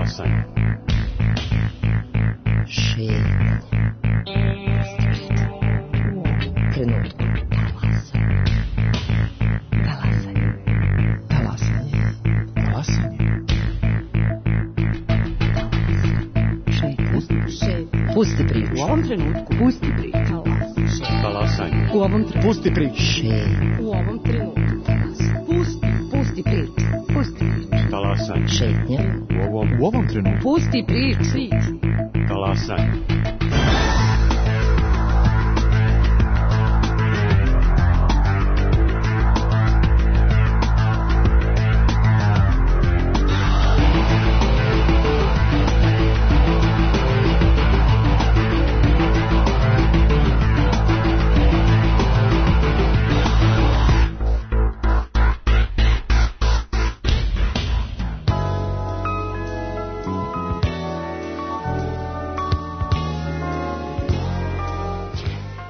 Talasanje. Šetnje. Trenutku. Talasanje. Talasanje. Talasanje. Šetnje. Pusti priču. U ovom trenutku. Pusti priču. Talasanje. U ovom trenutku. Pusti priču. Šetnje. U ovom trenutku. Pusti priču. Pusti priču. Talasanje. Šetnje. U ovom trenutku. Pusti priču. Talasanje.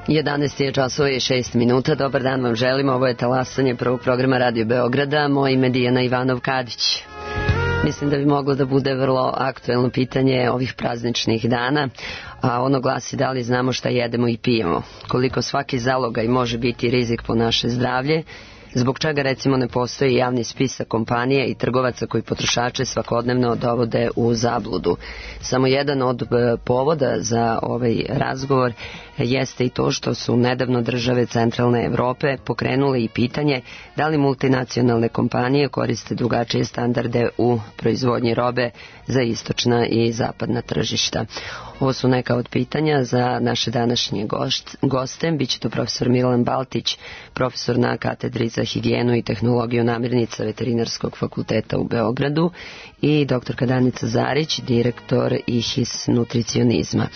Jedanaest je časova i 6 minuta. Dobar dan vam želim. Ovo je Talasanje prvog programa Radio Beograda. Moje ime je Dijana Ivanov-Kadić. Mislim da bi moglo da bude vrlo aktuelno pitanje ovih prazničnih dana, a ono glasi da li znamo šta jedemo i pijemo, koliko svaki zalogaj može biti rizik po naše zdravlje, zbog čega recimo ne postoji javni spisak kompanija i trgovaca koji potrošače svakodnevno dovode u zabludu. Samo jedan od povoda za ovaj razgovor jeste i to što su nedavno države centralne Evrope pokrenule i pitanje da li multinacionalne kompanije koriste drugačije standarde u proizvodnji robe za istočna i zapadna tržišta. Ovo su neka od pitanja za naše današnje goste. Biće to profesor Milan Baltić, profesor na katedri za higijenu i tehnologiju namirnica Veterinarskog fakulteta u Beogradu, i doktorka Danica Zarić, direktor IHIS nutricionizma.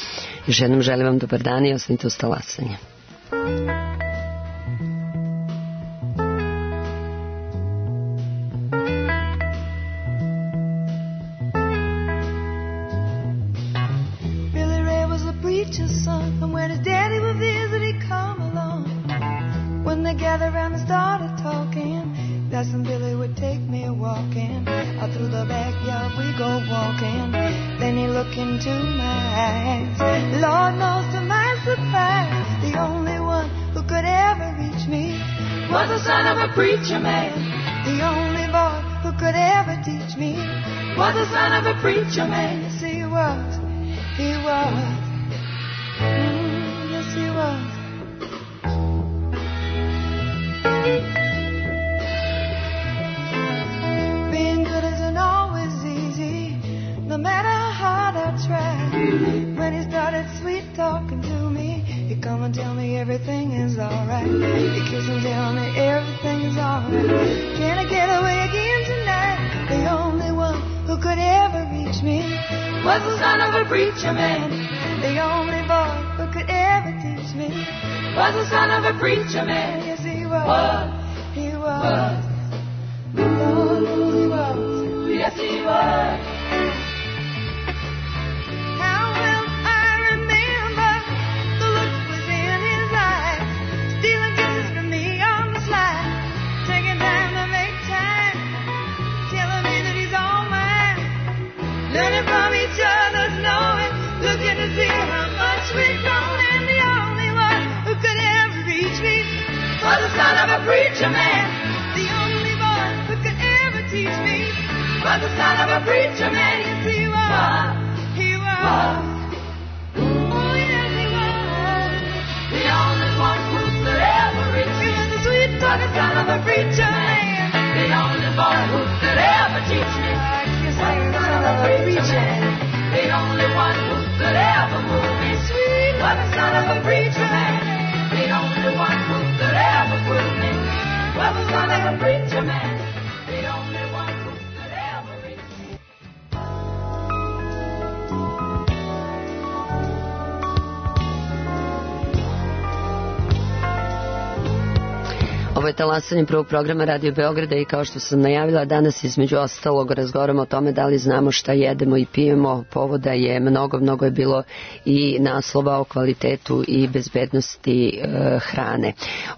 Još jednom želim vam dobar dan i ostanite uz Talasanje. preacher's son, and when his daddy would visit, he'd come along. When they gathered around and started talking, Cousin Billy would take me walking. Out through the backyard we go walking. Then he looked into my eyes. Lord knows to my surprise, the only one who could ever reach me was the son of a preacher man. The only boy who could ever teach me was the son of a preacher man. Yes, he was. He was. Yes, he was. Being good isn't always easy, no matter how hard I try. When he started sweet talking to me, he'd come and tell me everything is alright. He'd kiss and tell me everything is alright. Can I get away again tonight? The only one who could ever reach me was the son of a preacher man. The only boy who could ever teach me was the son of a preacher man. Yes, he was. He was. Oh, he was. Yes, he was. How well I remember the look was in his eyes, stealing kisses from me on the slide, taking time to make time, telling me that he's all mine, learning from each other's knowing, looking to see how much we've grown. And the only one who could ever reach me was the son of a preacher man. The only boy who could ever teach me was the son of a preacher man. Yes, he was. He was. Oh, yes, he was. The only one who could ever reach me was the sweet talking son of a preacher man. The only boy who could ever teach me was the son of a preacher man. The only one who could ever move me sweet was the son of a preacher man. The only one who could ever prove me was the son of a preacher man. The only one who could ever reach me. Ovo je talasanje prvog programa Radio Beograda i kao što sam najavila, danas između ostalog razgovaramo o tome da li znamo šta jedemo i pijemo. Povoda je mnogo je bilo i naslova o kvalitetu i bezbednosti hrane.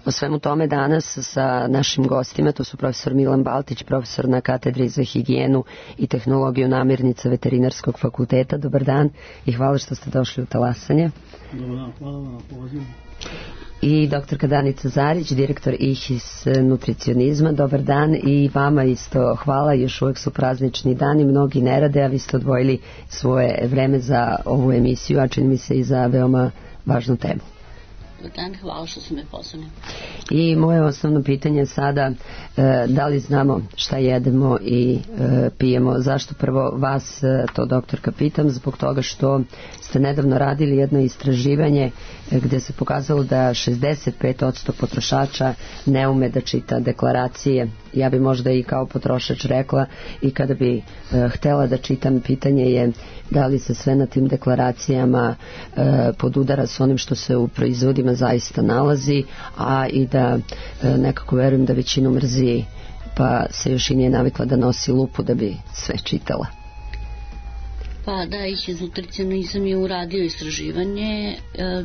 O svemu tome danas sa našim gostima, to su profesor Milan Baltić, profesor na katedri za higijenu i tehnologiju namirnica Veterinarskog fakulteta. Dobar dan i hvala što ste došli u talasanje. Dobar dan, hvala vam na pozivu. I doktorka Danica Zarić, direktor IHIS nutricionizma. Dobar dan i vama isto hvala, još uvek su praznični dani, mnogi ne rade, a vi ste odvojili svoje vreme za ovu emisiju, a čini mi se i za veoma važnu temu. Dobar dan, hvala što su me pozvali. I moje osnovno pitanje je sada da li znamo šta jedemo i pijemo. Zašto prvo vas to, doktorka, pitam? Zbog toga što ste nedavno radili jedno istraživanje gde se pokazalo da 65% potrošača ne ume da čita deklaracije. Ja bi možda i kao potrošač rekla, i kada bi htela da čitam, pitanje je da li se sve na tim deklaracijama podudara s onim što se u proizvodima zaista nalazi, a i da nekako verujem da većinu mrzi, pa se još i nije navikla da nosi lupu da bi sve čitala. Pa da, IHIS nutricionizam je uradio istraživanje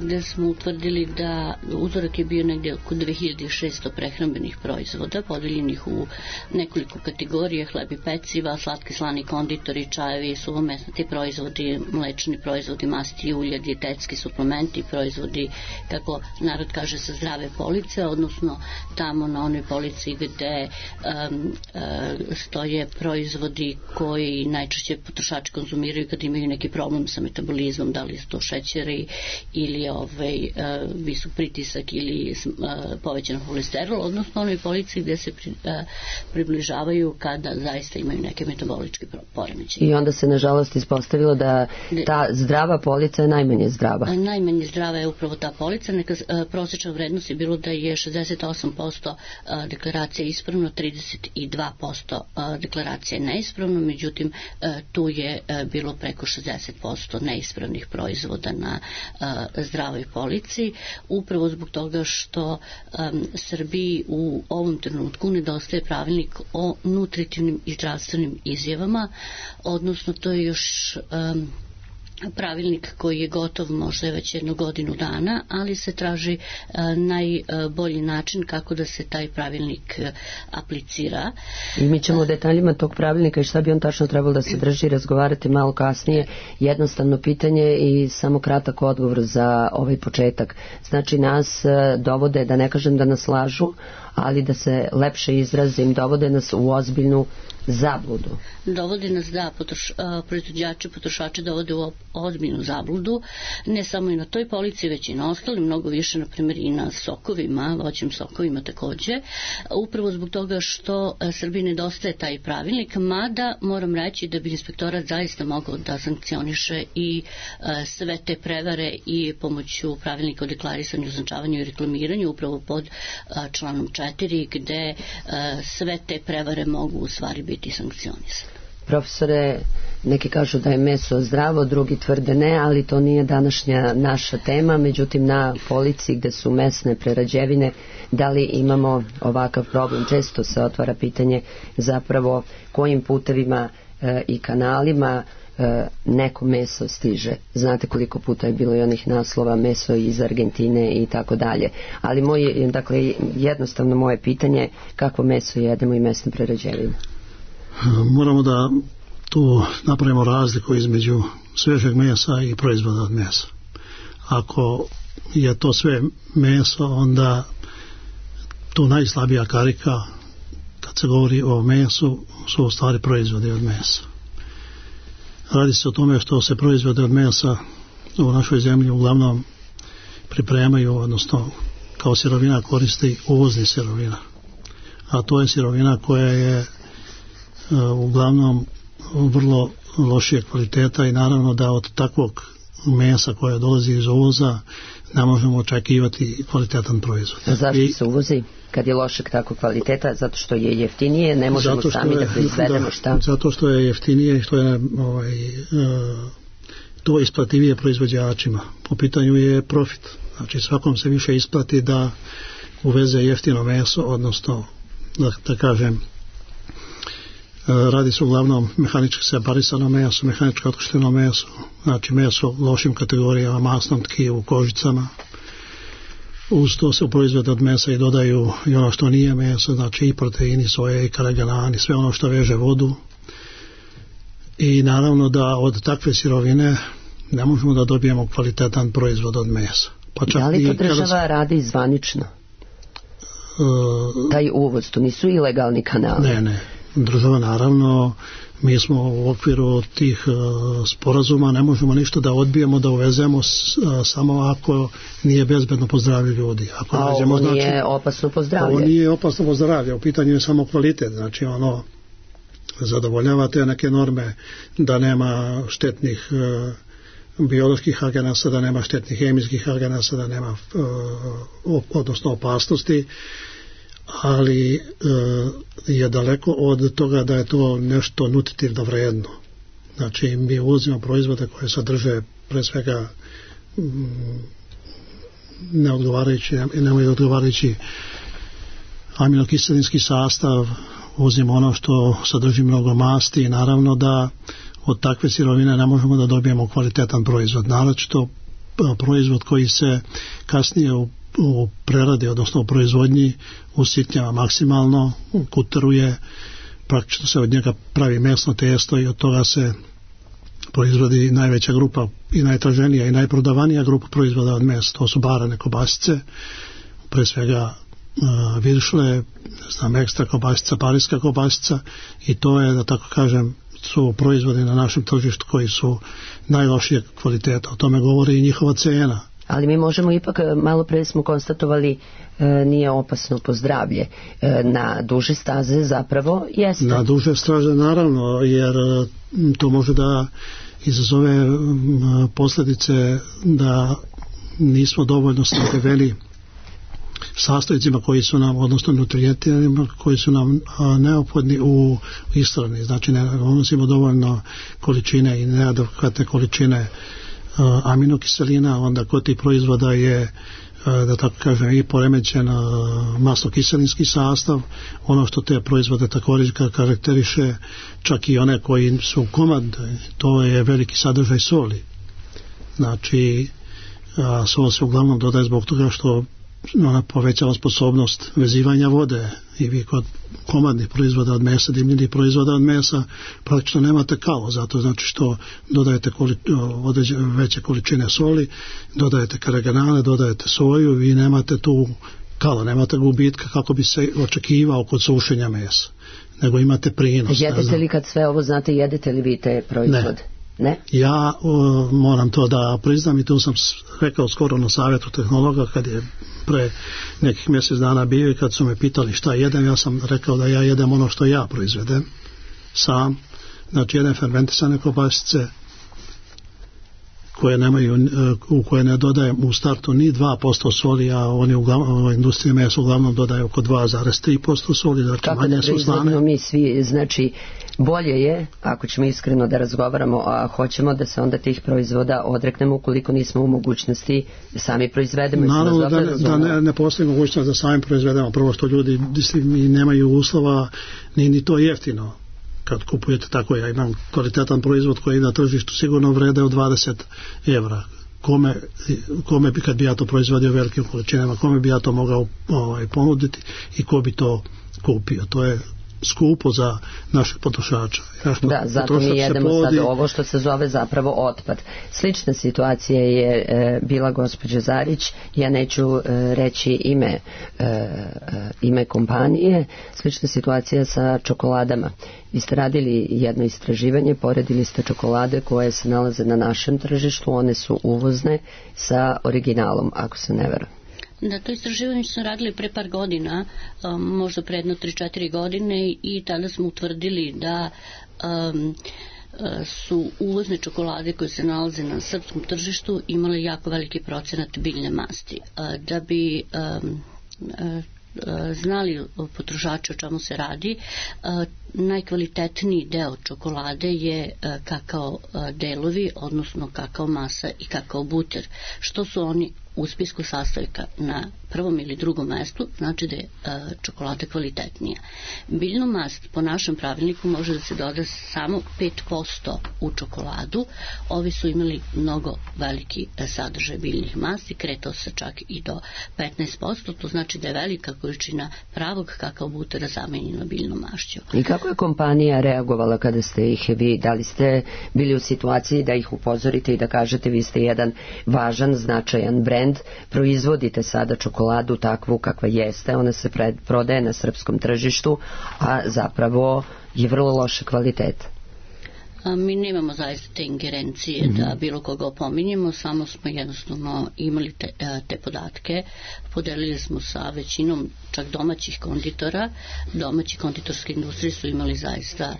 gde smo utvrdili da uzorak je bio negdje oko 2600 prehrambenih proizvoda, podeljenih u nekoliko kategorije: hleb i peciva, slatki, slani, konditori, čajevi, suvomesnati proizvodi, mlečni proizvodi, masti i ulja, dijetetski suplementi, proizvodi, kako narod kaže, sa zdrave police, odnosno tamo na onoj polici gde stoje proizvodi koji najčešće potrošači konzumiraju kad imaju neki problem sa metabolizmom, da li su to šećeri ili visok pritisak ili povećan holesterol, odnosno onoj polici gde se približavaju kada zaista imaju neke metaboličke poremećaje. I onda se nažalost ispostavilo da ta zdrava polica je najmanje zdrava. Najmanje zdrava je upravo ta polica. Neka prosječna vrednost je bilo da je 68% deklaracija ispravno, 32% deklaracija neispravno, međutim tu je bilo preko 60% neispravnih proizvoda na zdravoj polici, upravo zbog toga što Srbiji u ovom trenutku nedostaje pravilnik o nutritivnim i zdravstvenim izjavama, odnosno to je još pravilnik koji je gotov možda već 1 godinu dana, ali se traži najbolji način kako da se taj pravilnik aplicira. I mi ćemo u detaljima tog pravilnika i šta bi on tačno trebalo da se drži razgovarati malo kasnije. Jednostavno pitanje i samo kratak odgovor za ovaj početak. Znači nas dovode, da ne kažem da nas lažu, ali da se lepše izrazim, dovode nas u ozbiljnu zabludu. Dovode nas, da, proizvođači, potrošači dovode u ozbiljnu zabludu, ne samo i na toj polici, već i na ostalim, mnogo više, na primjer i na sokovima, voćnim sokovima takođe, upravo zbog toga što Srbiji nedostaje taj pravilnik, mada moram reći da bi inspektorat zaista mogao da sankcioniše i sve te prevare i pomoću pravilnika o deklarisanju, označavanju i reklamiranju, upravo pod članom 4, gde sve te prevare mogu u stvari biti sankcionisane. Profesore, neki kažu da je meso zdravo, drugi tvrde ne, ali to nije današnja naša tema. Međutim, na polici gde su mesne prerađevine, da li imamo ovakav problem? Često se otvara pitanje zapravo kojim putevima i kanalima neko meso stiže. Znate koliko puta je bilo i onih naslova meso iz Argentine i tako dalje. Ali jednostavno moje pitanje, kakvo meso jedemo i mesne prerađevine? Moramo da tu napravimo razliku između svežeg mesa i proizvoda od mesa. Ako je to sve meso, onda tu najslabija karika kad se govori o mesu su u stvari proizvodi od mesa. Radi se o tome što se proizvode od mesa u našoj zemlji uglavnom pripremaju, odnosno kao sirovina koristi uvozni sirovina. A to je sirovina koja je uglavnom vrlo lošije kvaliteta i naravno da od takvog mesa koje dolazi iz uvoza ne možemo očekivati kvalitetan proizvod. A zašto se uvozi kad je lošeg tako kvaliteta? Zato što je jeftinije, ne možemo sami da proizvedemo šta? Zato što je jeftinije i što je to isplativije proizvođačima. Po pitanju je profit. Znači svakom se više isplati da uveze jeftino meso, odnosno da kažem radi se uglavnom mehanički separisano meso, mehanički otkošteno meso, znači meso u lošim kategorijama, masnom tkivu, kožicama. Uz to se u proizvode od mesa i dodaju i ono što nije meso, znači i proteini, soje i karaganani, sve ono što veže vodu. I naravno da od takve sirovine ne možemo da dobijemo kvalitetan proizvod od mesa. Pa čak da li to država radi zvanično? Taj uvoz, to nisu ilegalni kanali? Ne. Država naravno, mi smo u okviru tih sporazuma, ne možemo ništa da odbijemo, da uvezemo samo ako nije bezbedno po zdravlje ljudi. Ako ovo nije opasno po zdravlje? Ovo nije opasno po zdravlje, u pitanju je samo kvalitet, znači ono zadovoljava te neke norme da nema štetnih bioloških agenasa, da nema štetnih hemijskih agenasa, da nema odnosno opasnosti, ali je daleko od toga da je to nešto nutritivno vredno. Znači mi uvozimo proizvode koje sadrže pre svega nemaju odgovarajući aminokiselinski sastav, uvozimo ono što sadrži mnogo masti i naravno da od takve sirovine ne možemo da dobijemo kvalitetan proizvod. Naročito proizvod koji se kasnije u preradi, odnosno u proizvodnji usitnjava maksimalno, kuteruje, praktično se od njega pravi mesno testo i od toga se proizvodi najveća grupa i najtraženija i najprodavanija grupa proizvoda od mesa. To su barane kobasice, pre svega viršle, ekstra kobasica, parijska kobasica i to je, da tako kažem, su proizvodi na našem tržištu koji su najlošije kvaliteta. O tome govori i njihova cena. Ali mi možemo ipak, malo pre smo konstatovali, nije opasno po zdravlje. Na duže staze zapravo jeste. Na duže staze naravno, jer to može da izazove posljedice da nismo dovoljno snabdeveni sastojcima koji su nam, odnosno nutrijentima koji su nam neophodni u ishrani. Znači ne unosimo dovoljno količine i neadekvatne količine aminokiselina, onda kod tih proizvoda je, da tako kažem, i poremećen masnokiselinski sastav. Ono što te proizvode također karakteriše, čak i one koji su komad, to je veliki sadržaj soli. Znači sol se uglavnom dodaje zbog toga što ona povećava sposobnost vezivanja vode i vi kod komadnih proizvoda od mesa, dimljenih proizvoda od mesa praktično nemate kalo, zato znači što dodajete veće količine soli, dodajete karaganane, dodajete soju, vi nemate tu kalo, nemate gubitka kako bi se očekivao kod sušenja mesa, nego imate prinos. Jedete li, kad sve ovo znate, jedete li vi te proizvode? Ne? Ja moram to da priznam i to sam rekao skoro na savjetu tehnologa kad je pre nekih mjesec dana bio i kad su me pitali šta jedem, ja sam rekao da ja jedem ono što ja proizvedem sam, znači jedem fermentisane kobasice u koje ne dodajem u startu ni 2% soli, a oni u industriji mesa uglavnom dodaju oko 2,3% soli, znači kako manje su slane. Kako da mi svi, znači bolje je, ako ćemo iskreno da razgovaramo, a hoćemo da se onda tih proizvoda odreknemo ukoliko nismo u mogućnosti da sami proizvedemo. Naravno da ne postoji mogućnost da sami proizvedemo, prvo što ljudi nemaju uslova, ni to jeftino. Kad kupujete tako, ja imam kvalitetan proizvod koji na tržištu sigurno vrede od 20 evra. Kome bi, kad bi ja to proizvodio velikim količinama, kome bi ja to mogao ponuditi i ko bi to kupio? To je skupo za naših potrošača. Da, zato mi jedemo sad ovo što se zove zapravo otpad. Slična situacija je bila gospođa Zarić, ja neću reći ime kompanije, slična situacija sa čokoladama. Vi ste radili jedno istraživanje, poredili ste čokolade koje se nalaze na našem tržištu, one su uvozne sa originalom, ako se ne verujem. Da, to istraživanje smo radili pre par godina, možda pre jedno 3-4 godine i tada smo utvrdili da su uvozne čokolade koje se nalaze na srpskom tržištu imale jako veliki procenat biljne masti. Da bi znali potrošači o čemu se radi, najkvalitetniji deo čokolade je kakao delovi, odnosno kakao masa i kakao buter. Što su oni u spisku sastojka na prvom ili drugom mestu, znači da je čokolada kvalitetnija. Biljnu mast po našem pravilniku može da se doda samo 5% u čokoladu. Ovi su imali mnogo veliki sadržaj biljnih masti, kretao se čak i do 15%, to znači da je velika količina pravog kakao butera zamenjena biljnom mašću. I kako je kompanija reagovala kada ste ih vi, da li ste bili u situaciji da ih upozorite i da kažete vi ste jedan važan, značajan brend, proizvodite sada čokoladu takvu kakva jeste, ona se prodaje na srpskom tržištu, a zapravo je vrlo loše kvaliteta? Mi nemamo zaista te ingerencije da bilo koga opominjemo, samo smo jednostavno imali te podatke, podelili smo sa većinom čak domaćih konditora. Domaći konditorske industrije su imali zaista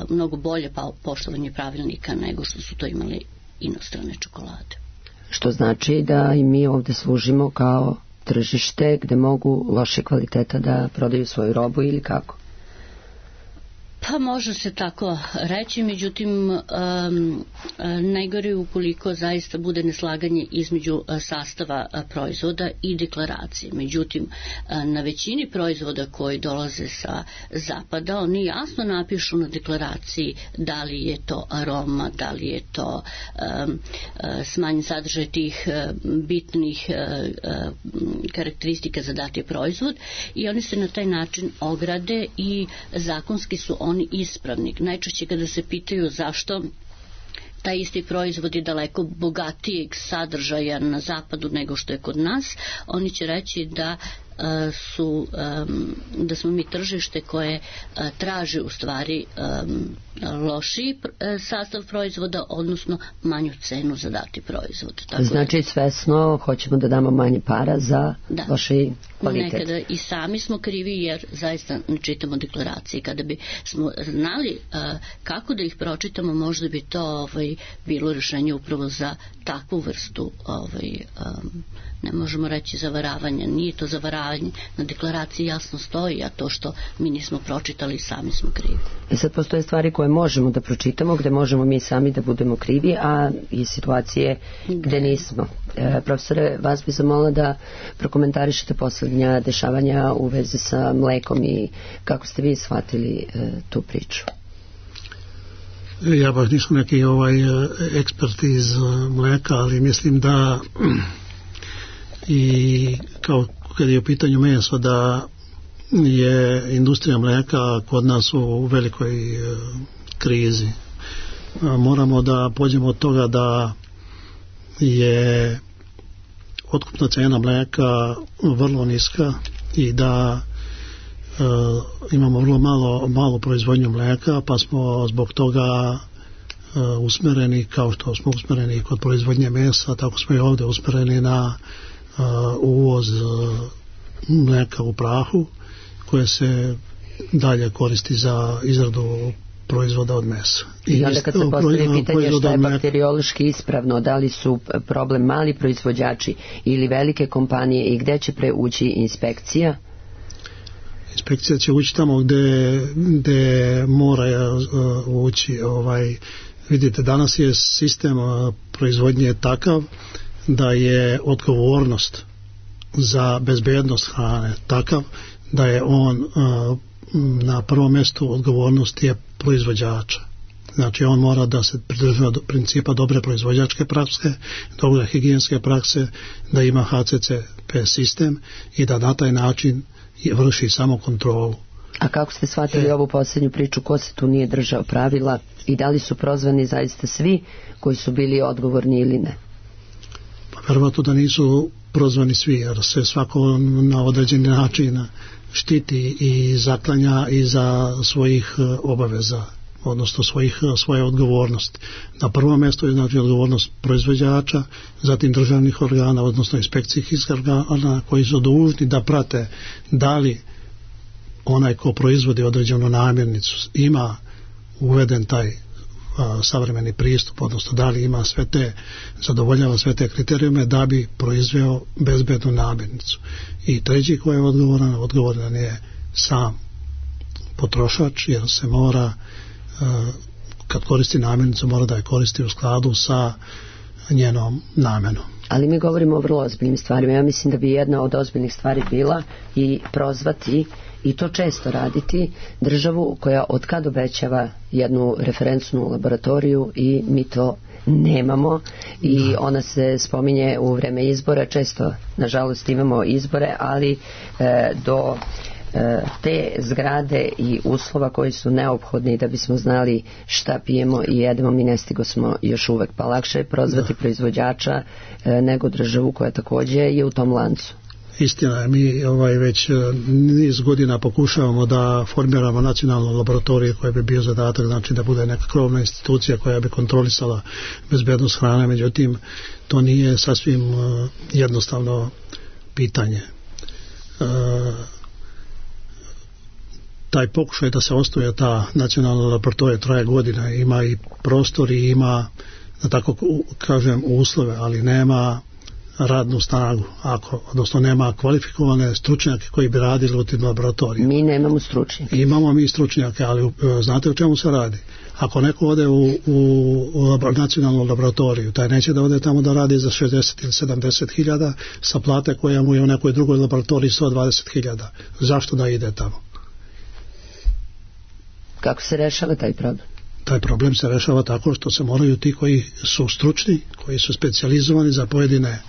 mnogo bolje poštovanje pravilnika nego što su to imali inostrane čokolade. Što znači da i mi ovde služimo kao tržište gde mogu loše kvaliteta da prodaju svoju robu ili kako? Pa može se tako reći, međutim najgore ukoliko zaista bude neslaganje između sastava proizvoda i deklaracije. Međutim, na većini proizvoda koji dolaze sa zapada, oni jasno napišu na deklaraciji da li je to aroma, da li je to smanjen sadržaj tih bitnih karakteristika za dati proizvod i oni se na taj način ograde i zakonski su oni ispravni. Najčešće kada se pitaju zašto taj isti proizvod je daleko bogatijeg sadržaja na zapadu nego što je kod nas, oni će reći da smo mi tržište koje traži u stvari lošiji sastav proizvoda, odnosno manju cenu za dati proizvod. Tako znači svesno hoćemo da damo manje para za lošiji kvalitet. Nekada i sami smo krivi jer zaista ne čitamo deklaracije. Kada bi smo znali kako da ih pročitamo, možda bi to bilo rješenje upravo za takvu vrstu ne možemo reći zavaravanja, nije to zavaravanje, na deklaraciji jasno stoji, a to što mi nismo pročitali sami smo krivi. I sad postoje stvari koje možemo da pročitamo, gde možemo mi sami da budemo krivi, a i situacije gde nismo. Profesore, vas bi zamolila da prokomentarišete poslednja dešavanja u vezi sa mlekom i kako ste vi shvatili tu priču. Ja baš nisam neki ekspert iz mleka, ali mislim da i kao kad je u pitanju meso da je industrija mleka kod nas u velikoj krizi. Moramo da pođemo od toga da je otkupna cena mleka vrlo niska i da imamo vrlo malo proizvodnju mleka, pa smo zbog toga usmereni, kao što smo usmereni kod proizvodnje mesa, tako smo i ovdje usmereni na uvoz mleka u prahu koje se dalje koristi za izradu proizvoda od mesa. I onda kad se postavi pitanje šta je bakteriološki ispravno, da li su problem mali proizvođači ili velike kompanije i gde će preući inspekcija? Inspekcija će ući tamo gde mora ući. Vidite, danas je sistem proizvodnje takav da je odgovornost za bezbednost hrane takav da je on na prvom mjestu odgovornost je proizvođača. Znači on mora da se pridržava do principa dobre proizvođačke prakse, dobre higijenske prakse, da ima HCCP sistem i da na taj način vrši samo kontrolu. A kako ste shvatili ovu posljednju priču, ko se tu nije držao pravila i da li su prozvani zaista svi koji su bili odgovorni ili ne? Pa verovatno da nisu prozvani svi, jer se svako na određeni način štiti i zaklanja iza svojih obaveza, odnosno svoje odgovornosti. Na prvom mjestu je znači odgovornost proizvođača, zatim državnih organa, odnosno inspekcijskih organa koji su dužni da prate da li onaj ko proizvodi određenu namirnicu ima uveden taj savremeni pristup, odnosno da li ima zadovoljava sve te kriterijume da bi proizveo bezbednu namirnicu. I treći koji je odgovoran je sam potrošač, jer se mora kad koristi namirnicu mora da je koristi u skladu sa njenom namenom. Ali mi govorimo o vrlo ozbiljnim stvarima. Ja mislim da bi jedna od ozbiljnih stvari bila i prozvati, i to često raditi, državu koja od kad obećava jednu referencnu laboratoriju i mi to nemamo i ona se spominje u vreme izbora. Često, nažalost, imamo izbore, ali do te zgrade i uslova koji su neophodni da bismo znali šta pijemo i jedemo, mi ne stigo smo još uvek, pa lakše je prozvati proizvođača nego državu koja takođe je u tom lancu. Istina je, mi već niz godina pokušavamo da formiramo nacionalnu laboratoriju koja bi bio zadatak, znači da bude neka krovna institucija koja bi kontrolisala bezbednost hrane, međutim to nije sasvim jednostavno pitanje. Taj pokušaj da se osnuje ta nacionalna laboratorija traje godina, ima i prostor i ima, da tako kažem, uslove, ali nema radnu snagu, odnosno nema kvalifikovane stručnjake koji bi radili u tim laboratorijama. Mi nemamo stručnjake. Imamo mi stručnjake, ali znate o čemu se radi? Ako neko ode u nacionalnu laboratoriju, taj neće da ode tamo da radi za 60 ili 70 hiljada sa plate koja mu je u nekoj drugoj laboratoriji 120 hiljada. Zašto da ide tamo? Kako se rešava taj problem? Taj problem se rešava tako što se moraju ti koji su stručni, koji su specijalizovani za pojedine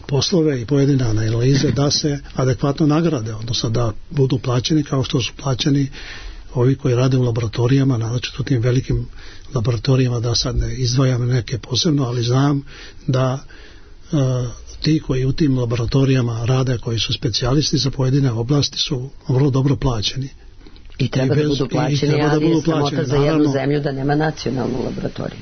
poslove i pojedine analize da se adekvatno nagrade, odnosno da budu plaćeni kao što su plaćeni ovi koji rade u laboratorijama, naročito u tim velikim laboratorijama, da sad ne izdvajam neke posebno, ali znam da ti koji u tim laboratorijama rade, koji su specijalisti za pojedine oblasti, su vrlo dobro plaćeni. I treba da budu plaćeni, ali je sramota za jednu zemlju da nema nacionalnu laboratoriju.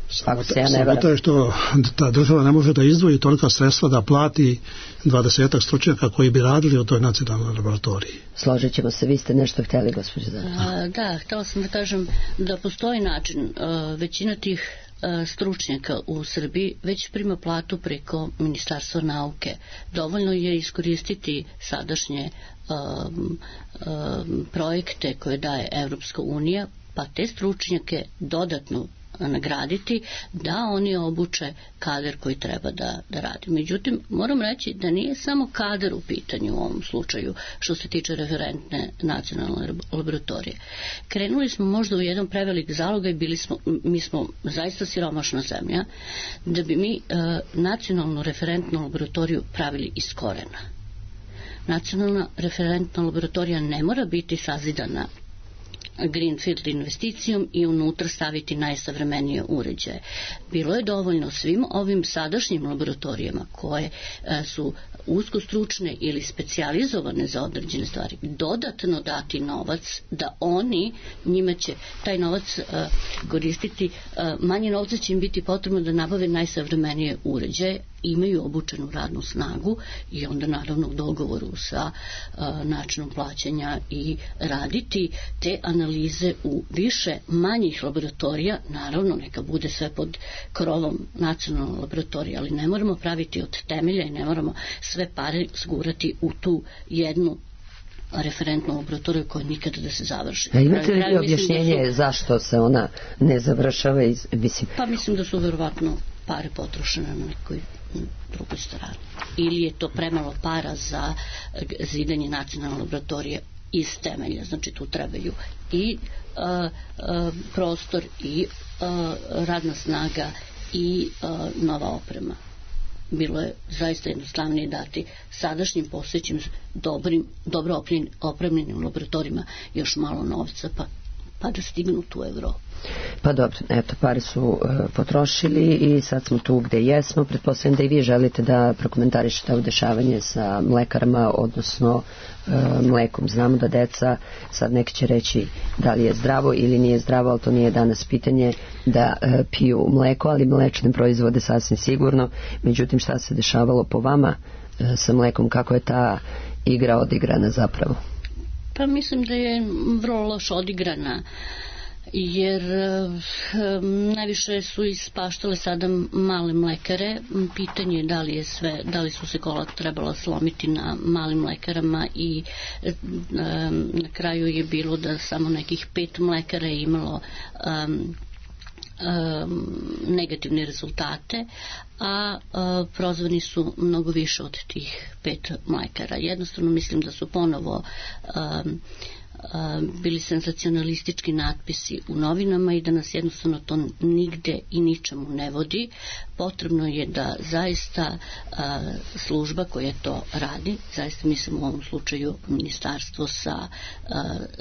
Sramota je što ta država ne može da izdvoji tolika sredstva da plati 20 stručnjaka koji bi radili u toj nacionalnoj laboratoriji. Složit ćemo se, vi ste nešto htjeli, gospođo Zara. Da, htjela sam da kažem da postoji način. Većina tih stručnjaka u Srbiji već prima platu preko Ministarstva nauke. Dovoljno je iskoristiti sadašnje projekte koje daje Evropska unija, pa te stručnjake dodatno nagraditi da oni obuče kadar koji treba da radi. Međutim, moram reći da nije samo kadar u pitanju u ovom slučaju što se tiče referentne nacionalne laboratorije. Krenuli smo možda u jedan prevelik zalogaj, mi smo zaista siromašna zemlja, da bi mi nacionalnu referentnu laboratoriju pravili iz korena. Nacionalna referentna laboratorija ne mora biti sazidana greenfield investicijom i unutra staviti najsavremenije uređaje. Bilo je dovoljno svim ovim sadašnjim laboratorijama koje su usko stručne ili specijalizovane za određene stvari dodatno dati novac da oni, njima će taj novac koristiti, manje novca će im biti potrebno da nabave najsavremenije uređaje, imaju obučenu radnu snagu i onda naravno u dogovoru sa načinom plaćanja i raditi te analize u više manjih laboratorija, naravno neka bude sve pod krovom nacionalne laboratorije, ali ne moramo praviti od temelja i ne moramo sve pare zgurati u tu jednu referentnu laboratoriju koja nikada da se završi. A imate li objašnjenje zašto se ona ne završava? Pa mislim da su verovatno pare potrošene na nekoj drugoj strani. Ili je to premalo para za zidanje nacionalne laboratorije iz temelja. Znači tu trebaju i prostor i radna snaga i nova oprema. Bilo je zaista jednostavnije dati sadašnjim postojećim dobro opremljenim laboratorijima još malo novca pa da stignu tu Evropu. Pa dobro, eto, pare su potrošili i sad smo tu gde jesmo. Pretpostavljam da i vi želite da prokomentarišete ovo dešavanje sa mlekarama, odnosno mlekom. Znamo da deca, sad neki će reći da li je zdravo ili nije zdravo, ali to nije danas pitanje, da piju mleko, ali mlečne proizvode sasvim sigurno. Međutim, šta se dešavalo po vama sa mlekom, kako je ta igra odigrana zapravo? Pa mislim da je vrlo loš odigrana, jer najviše su ispaštale sada male mlekare. Pitanje je da li su se kola trebala slomiti na malim mlekarama i na kraju je bilo da samo nekih 5 mlekara je imalo negativne rezultate, a prozvani su mnogo više od tih 5 mlekara. Jednostavno mislim da su ponovo bili senzacionalistički natpisi u novinama i da nas jednostavno to nigde i ničemu ne vodi. Potrebno je da zaista služba koja to radi, zaista mislim u ovom slučaju ministarstvo sa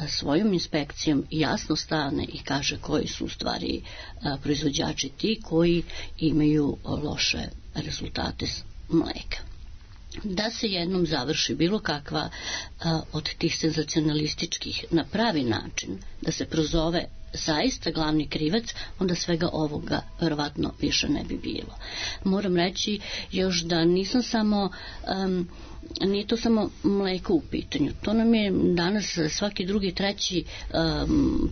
svojom inspekcijom jasno stane i kaže koji su u stvari proizvođači ti koji imaju loše rezultate mleka. Da se jednom završi bilo kakva od tih senzacionalističkih na pravi način, da se prozove zaista glavni krivac, onda svega ovoga verovatno više ne bi bilo. Moram reći još da nisam samo nije to samo mleko u pitanju. To nam je danas svaki drugi, treći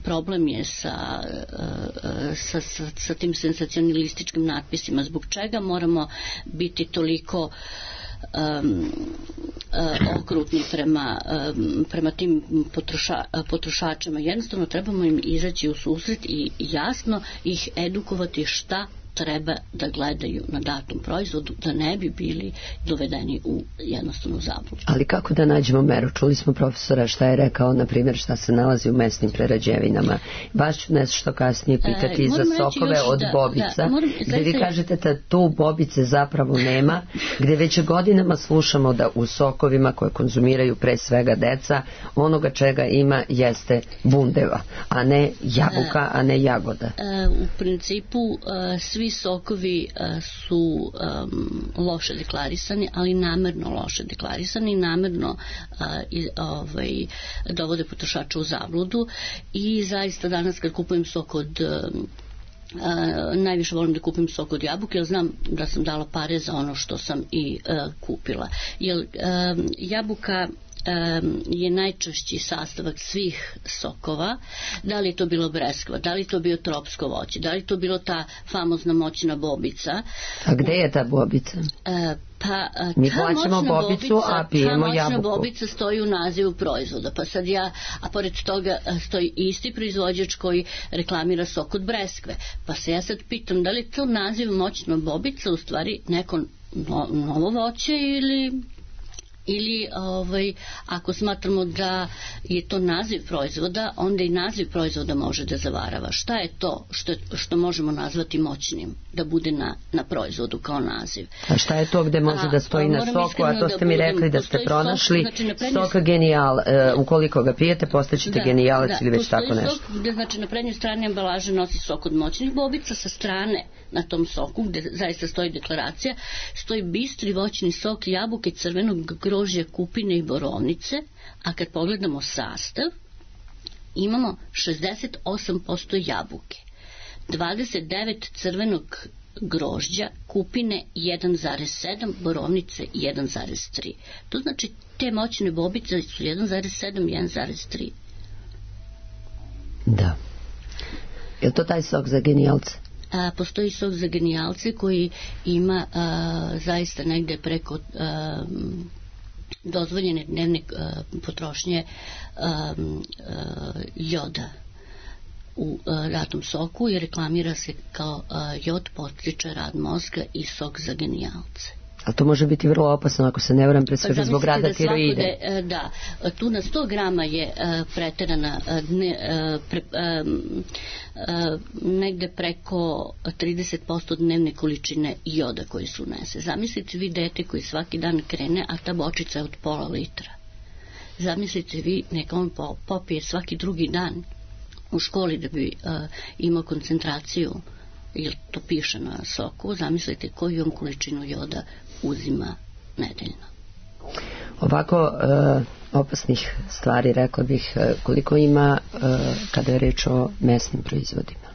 problem je sa tim senzacionalističkim natpisima. Zbog čega moramo biti toliko okrutni prema tim potrošačima? Jednostavno trebamo im izaći u susret i jasno ih edukovati šta treba da gledaju na datom proizvodu, da ne bi bili dovedeni u jednostavnu zabludu. Ali kako da nađemo meru? Čuli smo profesora šta je rekao, na primjer, šta se nalazi u mesnim prerađevinama. Vas ću nešto kasnije pitati za sokove od bobica, gde vi kažete da tu bobice zapravo nema, gde već godinama slušamo da u sokovima koje konzumiraju pre svega deca, onoga čega ima jeste bundeva, a ne jabuka, a ne jagoda. U principu svi sokovi su loše deklarisani, ali namerno loše deklarisani i namerno dovode potrošača u zabludu. I zaista danas kad kupujem sok od najviše volim da kupim sok od jabuke, jer znam da sam dala pare za ono što sam i kupila. Jer jabuka je najčešći sastavak svih sokova. Da li je to bilo breskva, da li je to bio tropsko voće, da li je to bilo ta famozna moćna bobica. A gde je ta bobica? Mi plaćamo bobicu, a pijemo jabuku. Ta moćna bobica stoji u nazivu proizvoda, pa sad a pored toga stoji isti proizvođač koji reklamira sok od breskve. Pa se ja sad pitam, da li je to naziv moćna bobica u stvari neko novo voće ili ako smatramo da je to naziv proizvoda, onda i naziv proizvoda može da zavarava. Šta je to što možemo nazvati moćnim da bude na proizvodu kao naziv? A šta je to gde može da stoji na soku, a to ste mi rekli da ste pronašli sok genijal, ukoliko ga pijete postaćete genijalac ili već tako nešto. Postoji sok gde znači na prednjoj strani ambalaže nosi sok od moćnih bobica, sa strane na tom soku gde zaista stoji deklaracija stoji bistri voćni sok jabuke, crvenog grožđa, kupine i borovnice, a kad pogledamo sastav imamo 68% jabuke, 29 crvenog grožđa, kupine 1,7, borovnice 1,3. To znači te moćne bobice su 1,7, 1,3. Da. Je to taj sok za genijalce? Postoji sok za genijalce koji ima zaista negde preko dozvoljene dnevne potrošnje joda u datom soku i reklamira se kao jod podstiče rad mozga i sok za genijalce. A to može biti vrlo opasno ako se ne varam, pre svega zbog rada tiroide. Da, tu na 100 grama je preterana negde preko 30% dnevne količine joda koji se unese. Zamislite vi dete koji svaki dan krene, a ta bočica je od pola litra. Zamislite vi neka on popije svaki drugi dan u školi da bi imao koncentraciju, jer to piše na soku, zamislite koju on količinu joda uzima nedeljno. Ovako opasnih stvari, rekla bih, koliko ima kada je reč o mesnim proizvodima?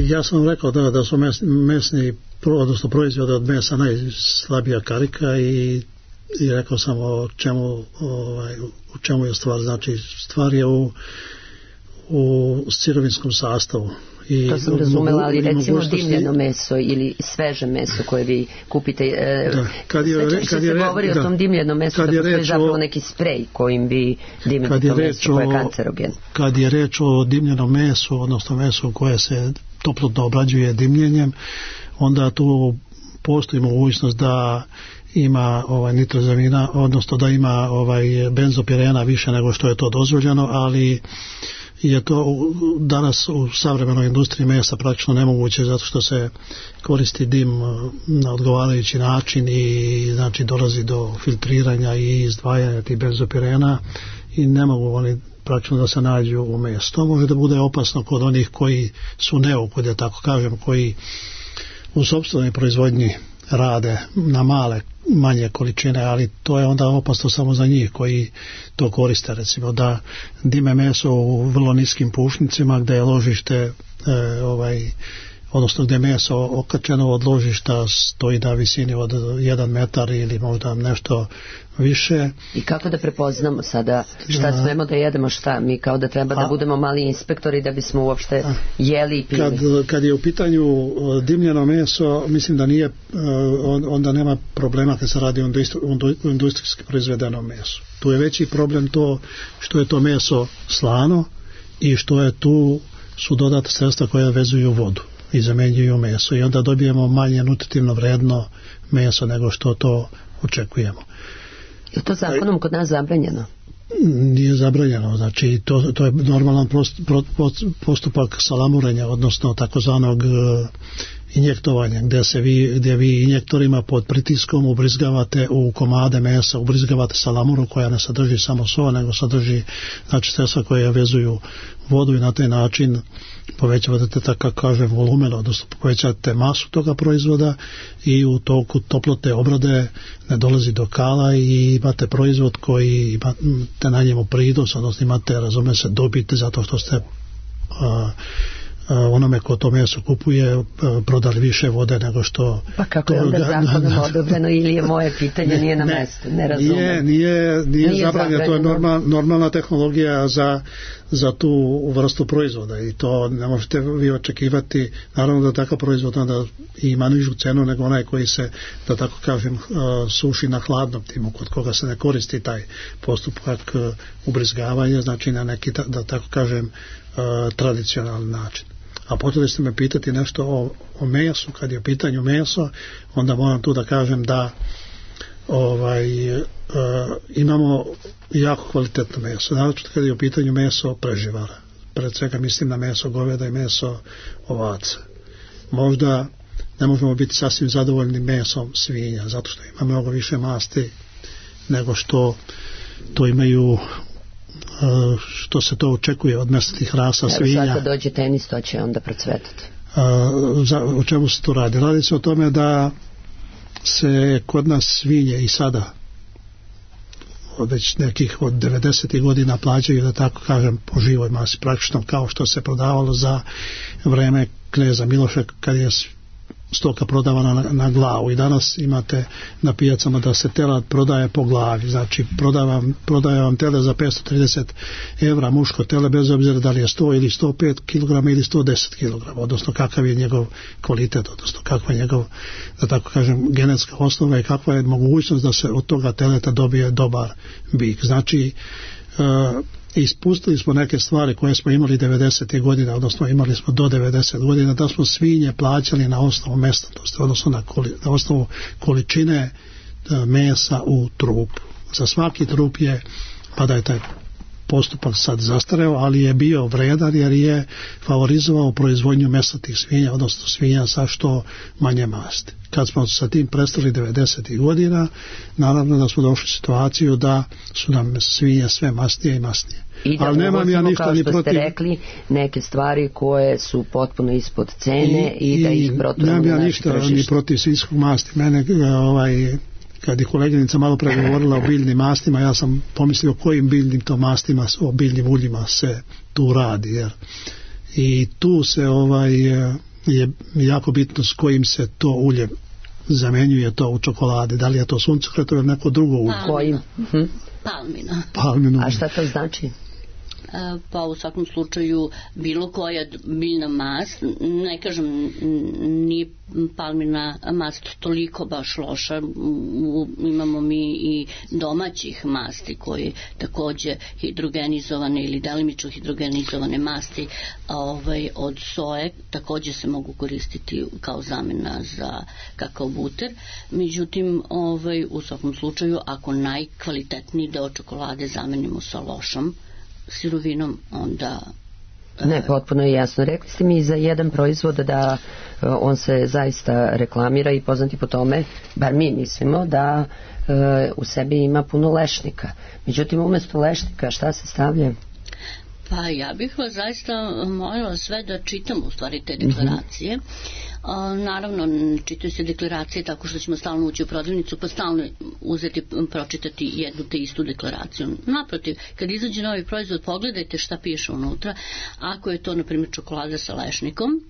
Ja sam rekao da su mesni, odnosno proizvode od mesa najslabija karika i rekao sam u čemu je stvar. Znači, stvar je u sirovinskom sastavu. i to sam razumela, ali recimo mogućnosti- dimljeno meso ili sveže meso koje vi kupite, Da. Kad je- sve češće kad je se re- govori o da. tom dimljenom mesu, Kad da je postoji reč zapravo o- neki sprej kojim vi dimite kad je to reč meso koje je o- kancerogen. Kad je reč o dimljenom mesu, odnosno mesu koje se toplotno obrađuje dimljenjem, onda tu postoji mogućnost da ima nitrozamina, odnosno da ima benzopirena više nego što je to dozvoljeno, ali je to danas u savremenoj industriji mesa praktično nemoguće, zato što se koristi dim na odgovarajući način i znači dolazi do filtriranja i izdvajanja tih benzopirena i ne mogu oni praktično da se nađu u mesu. To može da bude opasno kod onih koji su neukudi, da tako kažem, koji u sopstvenoj proizvodnji rade na manje količine, ali to je onda opasno samo za njih koji to koriste, recimo da dime meso u vrlo niskim pušnicima gdje je ložište odnosno gdje je meso okačeno od ložišta stoji na visini od 1 metar ili možda nešto više. I kako da prepoznamo sada šta smemo da jedemo, šta mi kao da treba da budemo mali inspektori da bismo uopšte jeli i pili? Kad je u pitanju dimljeno meso, mislim da nije, onda nema problema kad se radi o industrijski proizvedenom mesu. Tu je veći problem to što je to meso slano i što je tu su dodata sredstva koja vezuju vodu i zamenjuju meso i onda dobijemo manje nutritivno vredno meso nego što to očekujemo. Je to zakonom kod nas zabranjeno? Nije zabranjeno, znači to je normalan postupak salamurenja, odnosno takozvanog injektovanja, gdje vi injektorima pod pritiskom ubrizgavate u komade mesa, ubrizgavate salamuru koja ne sadrži samo so, nego sadrži znači sredstva koje vezuju vodu i na taj način povećavate tako kažem volumen, odnosno povećavate masu toga proizvoda i u toku toplotne obrade ne dolazi do kala i imate proizvod koji imate na njemu prinos, odnosno imate, razume se, dobit zato što ste onome ko to meso kupuje prodali više vode nego što... Pa kako je onda zakonom odobreno ili je moje pitanje nije na mestu, ne razumem. Nije zabranjeno, to je normalna tehnologija za tu vrstu proizvoda i to ne možete vi očekivati, naravno da takav proizvod onda ima nižu cenu nego onaj koji se, da tako kažem, suši na hladnom timu, kod koga se ne koristi taj postupak ubrizgavanja, znači na neki, da tako kažem, tradicionalni način. A počeli ste me pitati nešto o mesu. Kad je u pitanju meso, onda moram tu da kažem da imamo jako kvalitetno meso, naročito kad je u pitanju meso preživara, pred svega mislim na meso goveda i meso ovaca. Možda ne možemo biti sasvim zadovoljni mesom svinja, zato što ima mnogo više masti nego što to imaju, što se to očekuje od mesnatih rasa svinja. Sad kad dođe tenis, to će onda procvetati. O čemu se to radi? Radi se o tome da se kod nas svinje i sada već nekih od 90. godina plaćaju, da tako kažem, po živoj masi, praktično kao što se prodavalo za vreme kneza Miloša kad je stoka prodavana na glavu i danas imate na pijacama da se telad prodaje po glavi, znači prodaje vam tele za 530 evra, muško tele bez obzira da li je 100 ili 105 kg ili 110 kg, odnosno kakav je njegov kvalitet, odnosno kakva je njegov, da tako kažem, genetska osnova i kakva je mogućnost da se od toga teleta dobije dobar bik. Znači ispustili smo neke stvari koje smo imali 90. godina, odnosno imali smo do 90 godina, da smo svinje plaćali na osnovu mesnatosti, odnosno na osnovu količine mesa u trupu. Za svaki trup je, pa da je taj postupak sad zastareo, ali je bio vredan jer je favorizovao proizvodnju mesnatih svinja, odnosno svinja sa što manje masti. Kad smo sa tim prestali 90. godina, naravno da smo došli u situaciju da su nam svinje sve masnije i masnije. I da uvozimo, kao što ste rekli, neke stvari koje su potpuno ispod cene i da ih proturamo na naše tržište. Nemam ja ništa ni protiv svinjskog masti. Mene, kad je koleginica malo pre govorila o biljnim mastima, ja sam pomislio o kojim biljnim to mastima, o biljnim uljima se tu radi. Jer i tu se je jako bitno s kojim se to ulje zamenjuje to u čokoladi. Da li je to suncokret ili neko drugo ulje? Kojim? Palmino. A šta to znači? Pa u svakom slučaju bilo koja biljna mast, ne kažem nije palmina mast toliko baš loša, imamo mi i domaćih masti koje takođe hidrogenizovane ili delimično hidrogenizovane masti od soje takođe se mogu koristiti kao zamena za kakao buter. Međutim, u svakom slučaju ako najkvalitetniji deo čokolade zamenimo sa lošom sirovinom, onda... Ne, potpuno je jasno. Rekli ste mi za jedan proizvod da on se zaista reklamira i poznati po tome, bar mi mislimo, da u sebi ima puno lešnika. Međutim, umesto lešnika šta se stavlja? Pa ja bih vas zaista molila sve da čitamo u stvari te deklaracije. Naravno, čitaju se deklaracije tako što ćemo stalno ući u prodavnicu pa stalno pročitati jednu te istu deklaraciju. Naprotiv, kad izađe novi proizvod, pogledajte šta piše unutra. Ako je to, na primjer, čokolada sa lešnikom,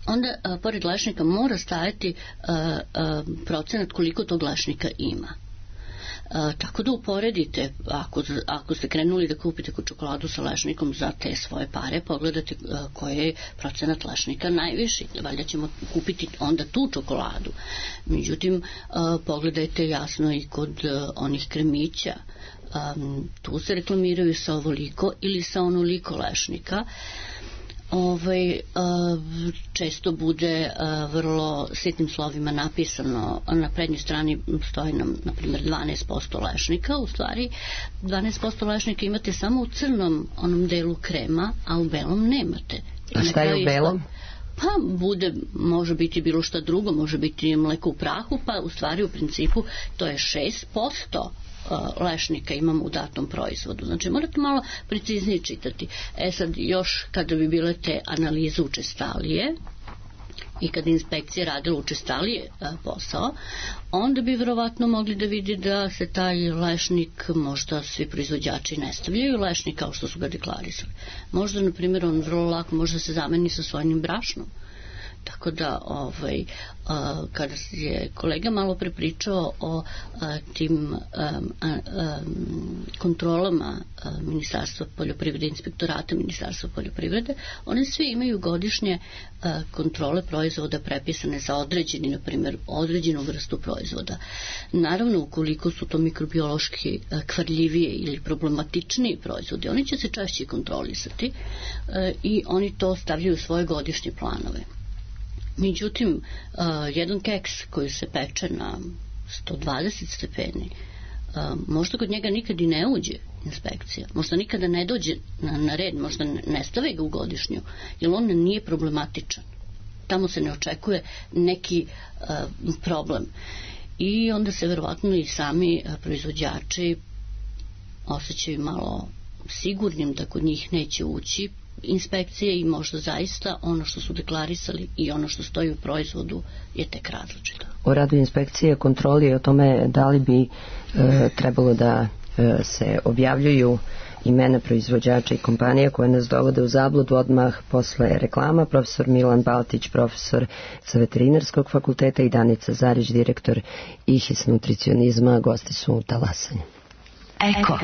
onda pored lešnika mora stajati procenat koliko tog lešnika ima. Tako da uporedite, ako ste krenuli da kupite čokoladu sa lešnikom za te svoje pare, pogledate koji je procenat lešnika najviši, valjda ćemo kupiti onda tu čokoladu. Međutim, pogledajte jasno i kod onih kremića, tu se reklamiraju sa ovoliko ili sa onoliko lešnika. Često bude vrlo sitnim slovima napisano, na prednjoj strani stoji nam na primjer 12% lešnika, u stvari 12% lešnika imate samo u crnom onom delu krema, a u belom nemate. A šta je u belom? Pa bude, može biti bilo šta drugo, može biti mleko u prahu, pa u stvari u principu to je 6% lešnika imamo u datom proizvodu. Znači morate malo preciznije čitati. Sad još kada bi bile te analize učestalije i kada inspekcije radila učestalije posao, onda bi verovatno mogli da vidi da se taj lešnik, možda svi proizvođači ne stavljaju lešnik kao što su ga deklarisali. Možda, na primjer, on vrlo lako može da se zameni sa sojnim brašnom. Tako da kada je kolega malo prepričao o tim kontrolama Ministarstva poljoprivrede, inspektorata Ministarstva poljoprivrede, oni svi imaju godišnje kontrole proizvoda prepisane za određeni, na primjer, određenu vrstu proizvoda. Naravno, ukoliko su to mikrobiološki kvarljivije ili problematičniji proizvodi, oni će se češće kontrolisati i oni to stavljaju u svoje godišnje planove. Međutim, jedan keks koji se peče na 120 stepeni, možda kod njega nikad i ne uđe inspekcija, možda nikada ne dođe na red, možda ne stave ga u godišnju, jer on nije problematičan. Tamo se ne očekuje neki problem. I onda se verovatno i sami proizvođači osjećaju malo sigurnim da kod njih neće ući inspekcije i možda zaista ono što su deklarisali i ono što stoji u proizvodu je tek različito. O radu inspekcije, kontroli i o tome da li bi trebalo da se objavljuju imena proizvođača i kompanija koje nas dovode u zabludu odmah posle reklama. Profesor Milan Baltić, profesor sa Veterinarskog fakulteta, i Danica Zarić, direktor IHIS nutricionizma, gosti su u Talasanju. Eko.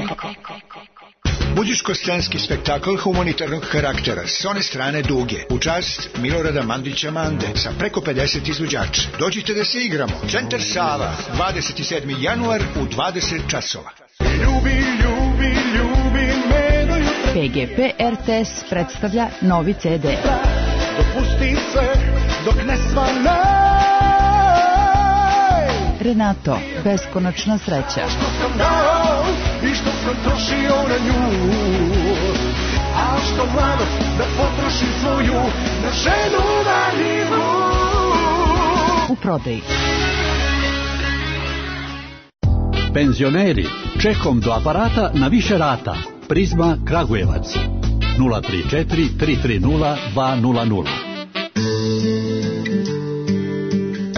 Budiško-scenski spektakl humanitarnog karaktera s one strane Duge u čast Milorada Mandića Mande sa preko 50 izvođača. Dođite da se igramo. Centar Sava, 27. januar u 20 časova. PGP RTS predstavlja novi CD. Dopusti se dok ne svane. Renato, beskonačna sreća. Što sam dao i što sam trošio na nju, a što mladost da potrošim svoju na ženu valjivu. U prodaji. Penzioneri, čekom do aparata na više rata. Prizma Kragujevac 034 330 200.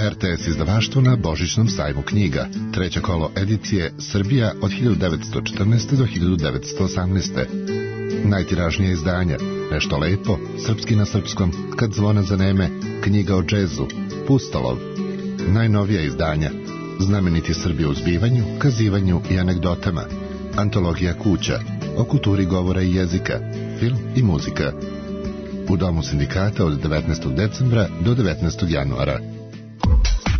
RTS izdavaštvo na Božićnom sajmu knjiga. Treće kolo edicije Srbija od 1914. do 1918. Najtiražnije izdanja Nešto lepo, Srpski na srpskom, Kad zvona zaneme, Knjiga o džezu, Pustolov. Najnovija izdanja Znameniti Srbi u zbivanju, kazivanju i anegdotama, Antologija kuća, o kulturi govora i jezika, film i muzika. U Domu sindikata od 19. decembra do 19. januara.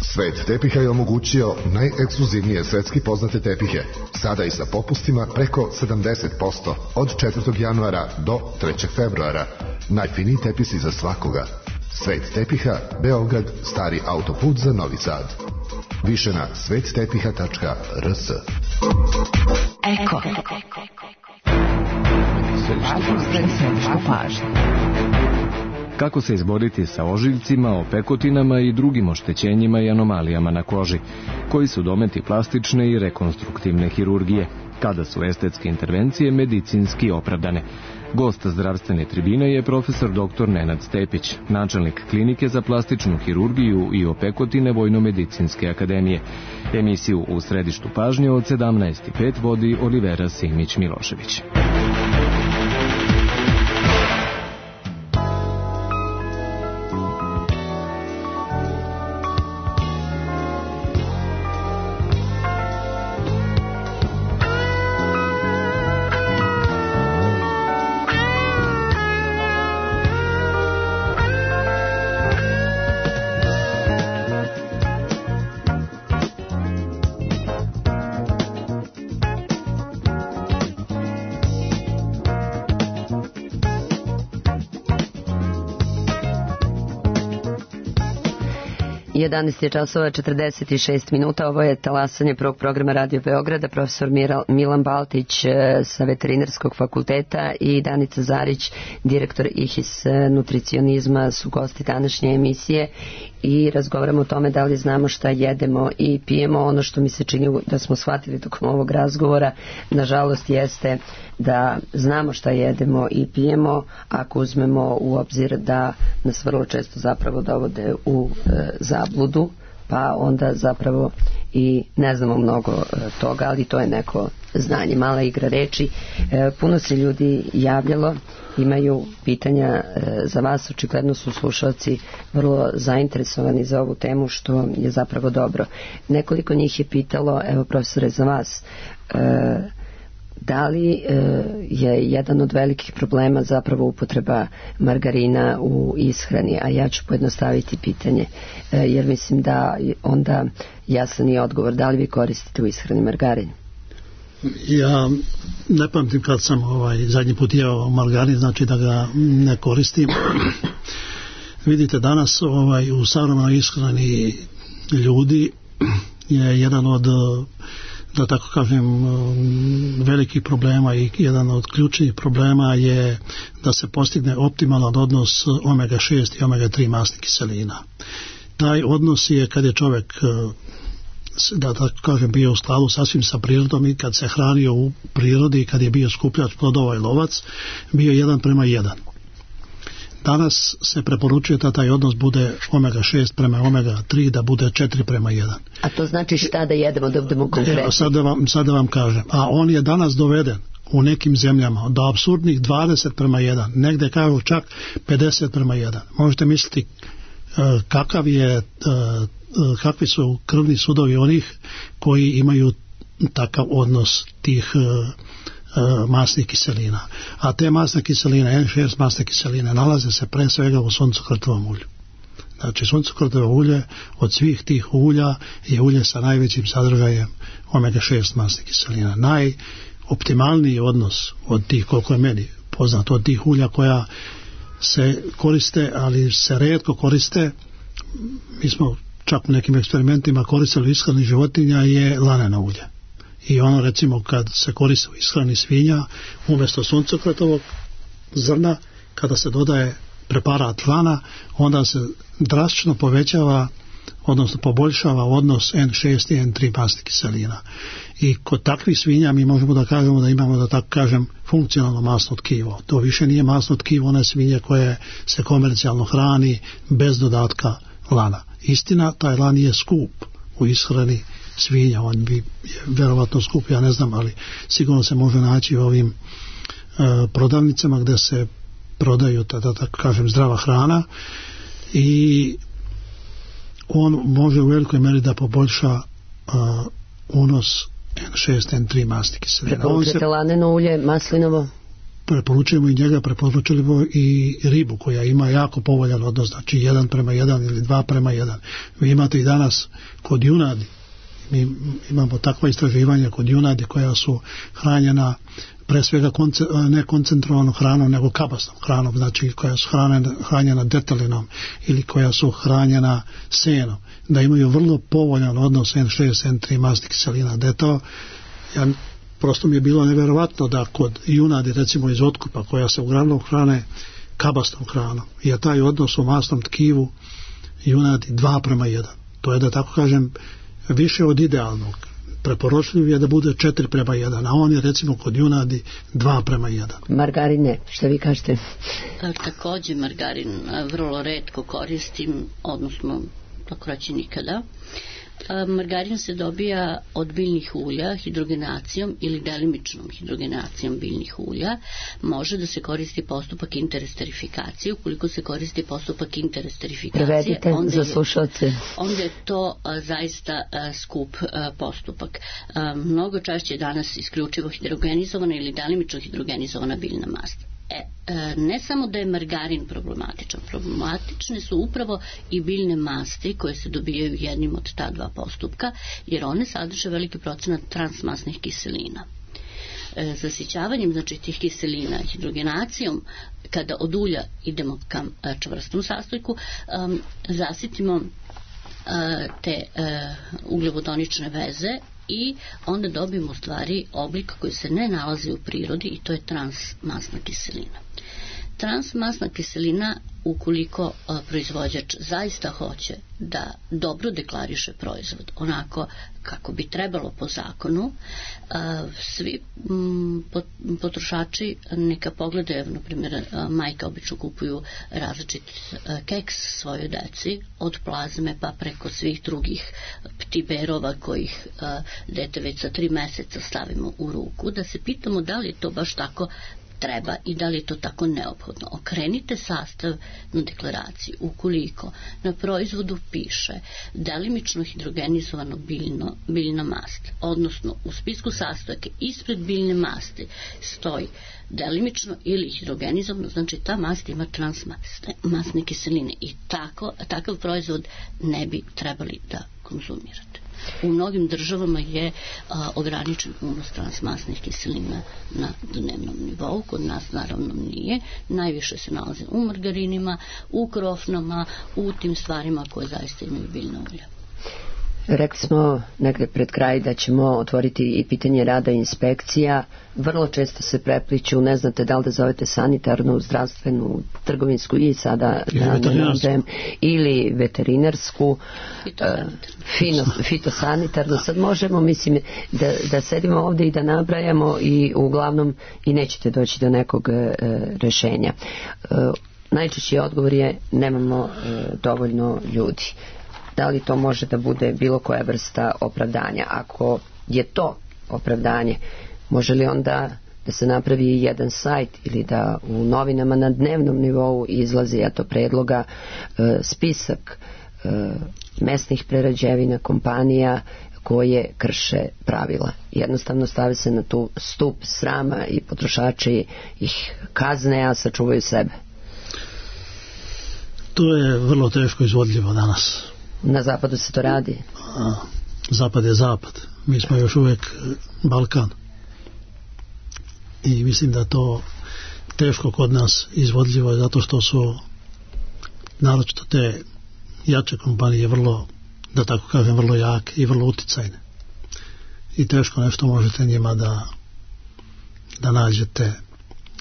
Svet tepiha je omogućio najekskluzivnije svetski poznate tepihe, sada i sa popustima preko 70% od 4. januara do 3. februara. Najfiniji tepisi za svakoga. Svet tepiha, Beograd, Stari autoput za Novi Sad. Više na svettepiha.rs. Eko. Središte pažnje. Kako se izboriti sa ožiljcima, opekotinama i drugim oštećenjima i anomalijama na koži, koji su dometi plastične i rekonstruktivne hirurgije, kada su estetske intervencije medicinski opravdane. Gost zdravstvene tribine je profesor dr. Nenad Stepić, načelnik klinike za plastičnu hirurgiju i opekotine Vojno-medicinske akademije. Emisiju U središtu pažnje od 17:05 vodi Olivera Simić-Milošević. Je časova 46 minuta. Ovo je talasanje prvog programa Radio Beograda. Profesor Milan Baltić sa Veterinarskog fakulteta i Danica Zarić, direktor IHIS nutricionizma, su gosti današnje emisije i razgovaramo o tome da li znamo šta jedemo i pijemo. Ono što mi se čini da smo shvatili tokom ovog razgovora, nažalost, jeste da znamo šta jedemo i pijemo, ako uzmemo u obzir da nas vrlo često zapravo dovode u zabludu, pa onda zapravo i ne znamo mnogo toga, ali to je neko znanje, mala igra reči. Puno se ljudi javljalo, imaju pitanja za vas, očigledno su slušalci vrlo zainteresovani za ovu temu, što je zapravo dobro. Nekoliko njih je pitalo, evo profesore, za vas, da li je jedan od velikih problema zapravo upotreba margarina u ishrani, a ja ću pojednostaviti pitanje, jer mislim da onda jasan je odgovor. Da li vi koristite u ishrani margarin? Ja ne pamtim kad sam zadnji put jeo margarin, znači da ga ne koristim. Vidite, danas u savremenoj ishrani ljudi je jedan od, da tako kažem, velikih problema i jedan od ključnih problema je da se postigne optimalan odnos omega-6 i omega-3 masnih kiselina. Taj odnos je kad je čovjek, da tako kažem, bio u skladu sasvim sa prirodom i kad se hranio u prirodi i kad je bio skupljač plodova i lovac, bio 1:1. Danas se preporučuje da taj odnos bude omega-6 prema omega-3, da bude 4:1. A to znači šta da jedemo, da budemo konkretni? Sad da vam kažem. A on je danas doveden u nekim zemljama do apsurdnih 20:1, negde kažu čak 50:1. Možete misliti kakvi su krvni sudovi onih koji imaju takav odnos tih masnih kiselina. A te masne kiseline, N6 masne kiseline, nalaze se pre svega u suncokrtovom ulju. Znači, suncokrtovo ulje od svih tih ulja je ulje sa najvećim sadržajem omega-6 masnih kiselina. Najoptimalniji odnos od tih, koliko je meni poznato, od tih ulja koja se koriste, ali se retko koriste, mi smo čak u nekim eksperimentima koristili u ishrani životinja, je laneno ulje. I ono, recimo, kad se koristi u ishrani svinja, umjesto suncokretovog zrna, kada se dodaje preparat lana, onda se drastično povećava, odnosno poboljšava odnos N6 i N3 masnih kiselina. I kod takvih svinja mi možemo da kažemo da imamo, da tako kažem, funkcionalno masno tkivo. To više nije masno tkivo one svinje koje se komercijalno hrani bez dodatka lana. Istina, taj lan je skup u ishrani svinja, on bi vjerovatno skup, ja ne znam, ali sigurno se može naći u ovim prodavnicama gdje se prodaju, da tako kažem, zdrava hrana, i on može u velikoj meri da poboljša unos N6, N3 masti kiselina. Preporučujete laneno ulje, maslinovo? Preporučujemo i njega, preporučujemo i ribu koja ima jako povoljan odnos, znači 1:1 ili 2:1. Vi imate i danas kod junadi, mi imamo takva istraživanja kod junadi koja su hranjena pre svega ne koncentrovanom hranom nego kabasnom hranom, znači koja su hranjena detelinom ili koja su hranjena senom, da imaju vrlo povoljan odnos N6, N3 masti kiselina. Da je to, prosto mi je bilo neverovatno da kod junadi, recimo iz otkupa, koja se uglavnom hrane kabastom hranom, je taj odnos u masnom tkivu junadi 2:1. To je, da tako kažem, više od idealnog. Preporučljiv je da bude 4:1, a on je recimo kod junadi 2:1. Margarine, što vi kažete? Takođe margarin vrlo retko koristim, odnosno tako reći nikada. Margarin se dobija od biljnih ulja hidrogenacijom ili delimičnom hidrogenacijom biljnih ulja. Može da se koristi postupak interesterifikacije. Ukoliko se koristi postupak interesterifikacije, prevedite za slušalce. Onda je to zaista skup postupak. Mnogo češće je danas isključivo hidrogenizovana ili delimično hidrogenizovana biljna mast. Ne samo da je margarin problematičan, problematične su upravo i biljne masti koje se dobijaju jednim od ta dva postupka, jer one sadrže veliki procenat transmasnih kiselina. Zasićavanjem, znači, tih kiselina hidrogenacijom, kada od ulja idemo ka čvrstom sastojku, zasitimo te ugljovodonične veze i onda dobijemo u stvari oblik koji se ne nalazi u prirodi, i to je transmasna kiselina. Transmasna kiselina, ukoliko proizvođač zaista hoće da dobro deklariše proizvod onako kako bi trebalo po zakonu, svi potrošači neka pogledaju, na primjer, majka obično kupuju različit keks svojoj deci, od plazme pa preko svih drugih ptiberova kojih dete već sa 3 meseca stavimo u ruku, da se pitamo da li je to baš tako treba i da li je to tako neophodno. Okrenite sastav na deklaraciji. Ukoliko na proizvodu piše delimično hidrogenizovano biljna mast, odnosno u spisku sastojaka ispred biljne masti stoji delimično ili hidrogenizovano, znači ta mast ima transmasne kiseline i takav proizvod ne bi trebali da konzumirate. U mnogim državama je ograničen unos transmasnih kiselina na dnevnom nivou, kod nas naravno nije. Najviše se nalaze u margarinima, u krofnama, u tim stvarima koje zaista imaju biljna ulja. Rekli smo negde pred kraj da ćemo otvoriti i pitanje rada inspekcija. Vrlo često se prepliću, ne znate da li da zovete sanitarnu, zdravstvenu, trgovinsku i sada ili veterinarsku, fitosanitarnu. Sad možemo, mislim, da sedimo ovde i da nabrajamo i uglavnom i nećete doći do nekog rešenja. Najčešći odgovor je nemamo dovoljno ljudi. Da li to može da bude bilo koja vrsta opravdanja? Ako je to opravdanje, može li onda da se napravi jedan sajt ili da u novinama na dnevnom nivou izlazi predloga spisak mesnih prerađevina kompanija koje krše pravila. Jednostavno stave se na tu stup srama i potrošači ih kazne, a sačuvaju sebe. To je vrlo teško izvodljivo danas. Na zapadu se to radi? Zapad je zapad. Mi smo još uvijek Balkan. I mislim da to teško kod nas izvodljivo je zato što su naročito te jače kompanije vrlo, da tako kažem, vrlo jake i vrlo uticajne. I teško nešto možete njima da nađete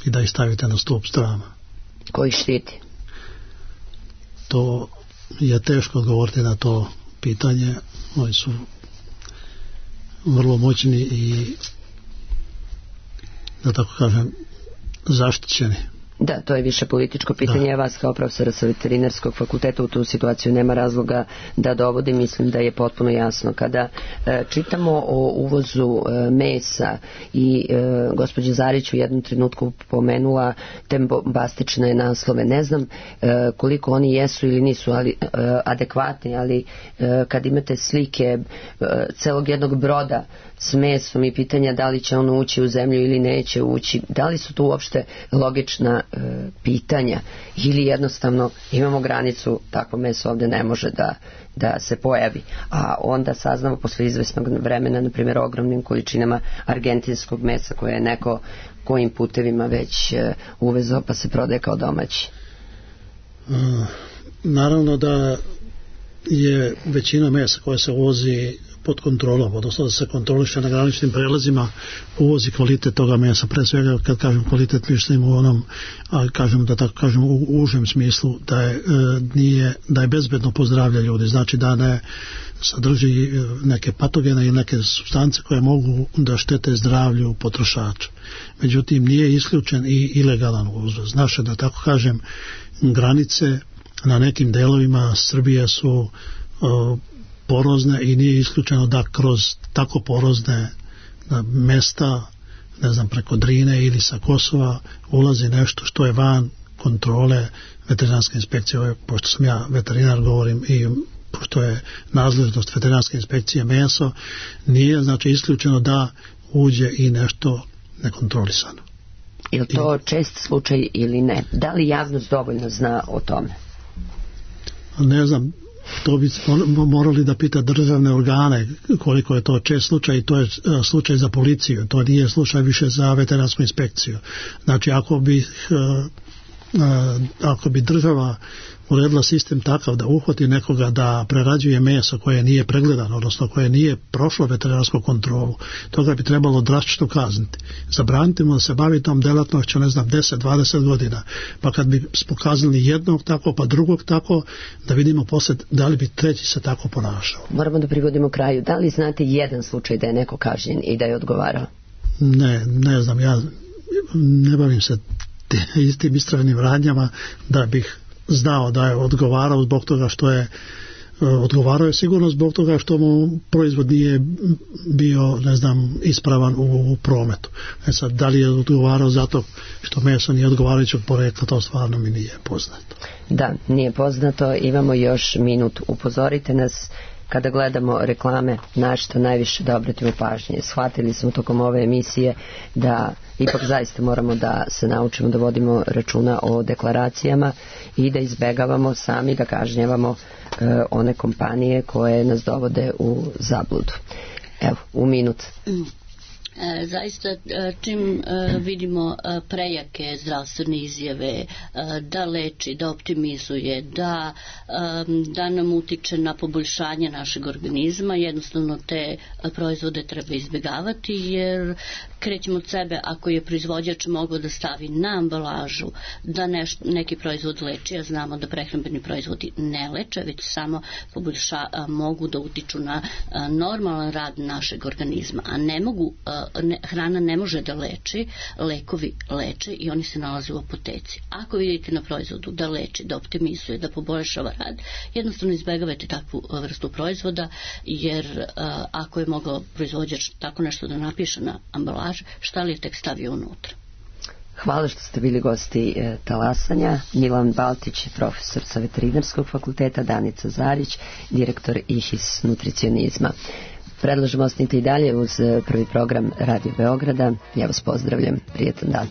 i da ih stavite na stup strama. Koji štiti? To je teško odgovoriti na to pitanje. Oni su vrlo moćni i, da tako kažem, zaštićeni. Da, to je više političko pitanje. Ja vas kao profesora sa veterinarskog fakulteta u tu situaciju nema razloga da dovodim. Mislim da je potpuno jasno. Kada čitamo o uvozu mesa i gospođa Zarić u jednom trenutku pomenula te bombastične naslove. Ne znam koliko oni jesu ili nisu adekvatni, ali kad imate slike celog jednog broda s mesom i pitanja da li će ono ući u zemlju ili neće ući, da li su tu uopšte logična pitanja ili jednostavno imamo granicu, takvo meso ovde ne može da se pojavi, a onda saznamo posle izvesnog vremena, na primjer, ogromnim količinama argentinskog mesa koje je neko kojim putevima već uvezao pa se prodaje kao domaći. Naravno da je većina mesa koja se uvozi pod kontrolom, odnosno da se kontroliše na graničnim prelazima, uvozi kvalitet toga mesa. Pre svega, kad kažem kvalitet, mislim u onom, kažem da tako kažem u užem smislu, da je bezbedno po zdravlje ljudi, znači da ne sadrži neke patogene i neke supstance koje mogu da štete zdravlju potrošača. Međutim, nije isključen i ilegalan uvoz. Naše, da tako kažem, granice na nekim delovima Srbije su porozne i nije isključeno da kroz tako porozne mesta, ne znam, preko Drine ili sa Kosova ulazi nešto što je van kontrole veterinarske inspekcije. Pošto sam ja veterinar, govorim i pošto je nadležnost veterinarske inspekcije meso, nije znači isključeno da uđe i nešto nekontrolisano. Je li to čest slučaj ili ne? Da li javnost dovoljno zna o tome? Ne znam, to bi morali da pita državne organe koliko je to čest slučaj, i to je slučaj za policiju, to nije slučaj više za veterinarsku inspekciju. Znači ako bi država uredila sistem takav da uhvati nekoga da prerađuje meso koje nije pregledano, odnosno koje nije prošlo veterinarsku kontrolu, toga bi trebalo drastično kazniti. Zabraniti mu da se bavi tom delatnošću, ne znam, 10-20 godina. Pa kad bi pokazali jednog tako, pa drugog tako, da vidimo posle da li bi treći se tako ponašao. Moramo da privodimo kraju. Da li znate jedan slučaj da je neko kažnjen i da je odgovarao? Ne znam, ja ne bavim se tim istražnim radnjama da bih znao da je odgovarao zbog toga što je odgovarao je sigurno zbog toga što mu proizvod nije bio, ne znam, ispravan u prometu. Sad, da li je odgovarao zato što meso nije odgovarajućeg porekla, to stvarno mi nije poznato. Da, nije poznato. Imamo još minut. Upozorite nas kada gledamo reklame, na što najviše da obratimo pažnje. Shvatili smo tokom ove emisije da ipak zaista moramo da se naučimo da vodimo računa o deklaracijama i da izbegavamo sami da kažnjavamo one kompanije koje nas dovode u zabludu. Evo, u minut. Zaista, čim vidimo prejake zdravstvene izjave da leči, da optimizuje, da nam utiče na poboljšanje našeg organizma, jednostavno te proizvode treba izbjegavati, jer krećemo od sebe. Ako je proizvođač mogao da stavi na ambalažu da neki proizvod leči, a znamo da prehrambeni proizvodi ne leče, već samo mogu da utiču na normalan rad našeg organizma, a ne mogu, hrana ne može da leči, lekovi leče i oni se nalaze u apoteci. Ako vidite na proizvodu da leči, da optimizuje, da poboljšava rad, jednostavno izbegavajte takvu vrstu proizvoda, jer ako je mogao proizvođač tako nešto da napiše na ambalaži, šta li je tek stavio unutra. Hvala što ste bili gosti talasanja. Milan Baltić, profesor sa veterinarskog fakulteta, Danica Zarić, direktor IHIS nutricionizma. Predlažemo, ostanite i dalje uz prvi program Radio Beograda. Ja vas pozdravljam. Prijetan dan.